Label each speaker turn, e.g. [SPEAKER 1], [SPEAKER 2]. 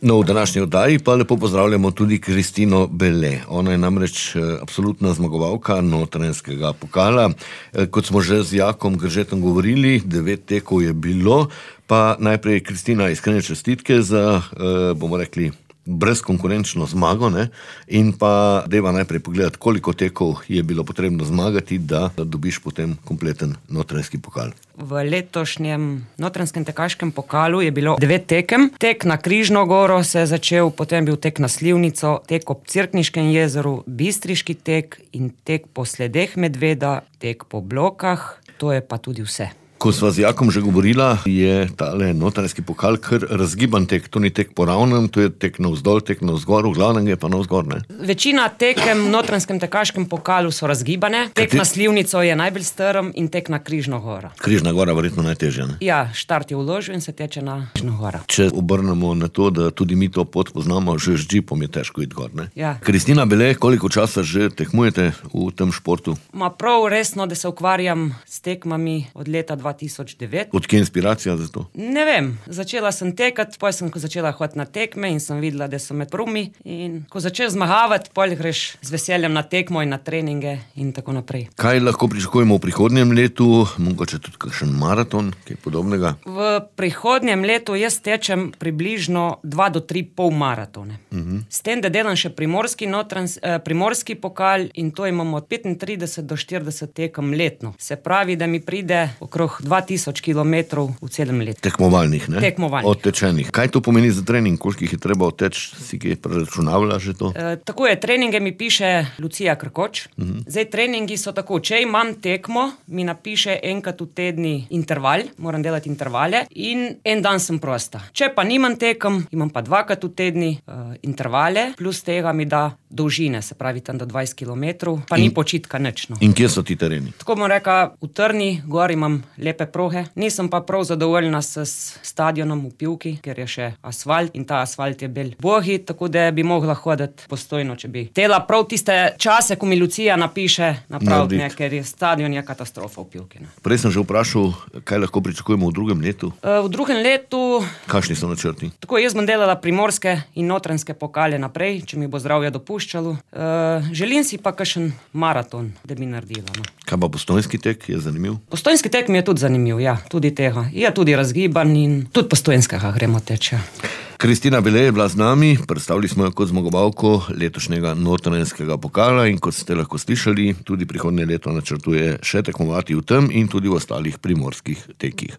[SPEAKER 1] No, v današnji oddaji pa lepo pozdravljamo tudi Kristino Bele. Ona je namreč absolutna zmagovalka Notranjskega pokala. Kot smo že z Jakom Gržetom govorili, 9 tekov je bilo, pa najprej Kristina, iskrene čestitke za, bomo rekli, brezkonkurenčno zmago, ne? In pa deva najprej pogledati, koliko tekov je bilo potrebno zmagati, da dobiš potem kompleten Notranjski pokal.
[SPEAKER 2] V letošnjem Notranjskem tekaškem pokalu je bilo 9 tekem. Tek na Križno goro se je začel, potem bil tek na Slivnico, tek ob Cerkniškem jezeru, Bistriški tek in tek po sledeh medveda, tek po Blokah, to je pa tudi vse.
[SPEAKER 1] Ko sva z Jakom že govorila, je tale Notranjski pokal kar razgiban tek. To ni tek po ravnem, to je tek navzdol, tek navzgor, v glavnem je pa navzgor, ne?
[SPEAKER 2] Večina tekem v Notranjskem tekaškem pokalu so razgibane. Tek na Slivnico je najbolj strm in tek na Križno goro.
[SPEAKER 1] Križna gora verjetno najtežja, ne?
[SPEAKER 2] Ja, štart je v Ložju in se teče na Križno goro.
[SPEAKER 1] Če obrnemo na to, da tudi mi to pot poznamo, že z džipom je težko iti gor, ne?
[SPEAKER 2] Ja.
[SPEAKER 1] Kristina Bele, koliko časa že tekmujete v tem športu?
[SPEAKER 2] Prav resno, da se ukvarjam s tekmami od leta 2009.
[SPEAKER 1] Odkje je inspiracija za to?
[SPEAKER 2] Ne vem, začela sem tekati, potem sem začela hoditi na tekme in sem videla, da so med prvimi. In ko začneš zmagavati, potem greš z veseljem na tekmo in na treninge in tako naprej.
[SPEAKER 1] Kaj lahko pričakujemo v prihodnjem letu? Mogoče tudi kakšen maraton, kaj podobnega?
[SPEAKER 2] V prihodnjem letu jaz tečem približno 2 do 3 pol maratone. S tem, da delam še primorski pokal in to imamo od 35 do 40 tekem letno. Se pravi, da mi pride okrog 2000 kilometrov v celem letu.
[SPEAKER 1] Tekmovalnih, ne?
[SPEAKER 2] Tekmovalnih.
[SPEAKER 1] Odtečenih. Kaj to pomeni za trening? Koliko jih je treba odteči? Si kaj preračunavlja že to?
[SPEAKER 2] Tako je, treninge mi piše Lucija Krkoč. Zdaj, treningi so tako, če imam tekmo, mi napiše enkrat v tedni interval, moram delati intervale in en dan sem prosta. Če pa nimam tekem, imam pa 2krat v tedni intervale, plus tega mi da dolžine, se pravi tam do 20 kilometrov, pa ni počitka nič, no.
[SPEAKER 1] In kje so ti tereni?
[SPEAKER 2] Tako bom rekla, v Trni, gor imam lepe proge. Nisem pa prav zadovoljna s stadionom v Pivki, ker je še asfalt in ta asfalt je bel bogi, tako da bi mogla hoditi postojno, če bi tela prav tiste čase, ko mi Lucija napiše napraviti, ker je stadion je katastrofa v Pivki, ne.
[SPEAKER 1] Prej sem že vprašal, kaj lahko pričakujemo v drugem letu?
[SPEAKER 2] V drugem letu...
[SPEAKER 1] Kakšni so načrti?
[SPEAKER 2] Tako, jaz bom delala primorske in notranjske pokale naprej, če mi bo zdravje dopuščalo. Želim si pa kakšen maraton, da bi naredila, no.
[SPEAKER 1] Kaj pa Postojnski tek, je zanimiv?
[SPEAKER 2] Postojnski tek mi je tudi zanimiv, ja, tudi tega. Je tudi razgiban in tudi Postojnskega gremo teče.
[SPEAKER 1] Kristina Bele je bila z nami, predstavili smo jo kot zmagovalko letošnjega Notranjskega pokala in kot ste lahko slišali, tudi prihodnje leto načrtuje še tekmovati v tem in tudi v ostalih primorskih tekih.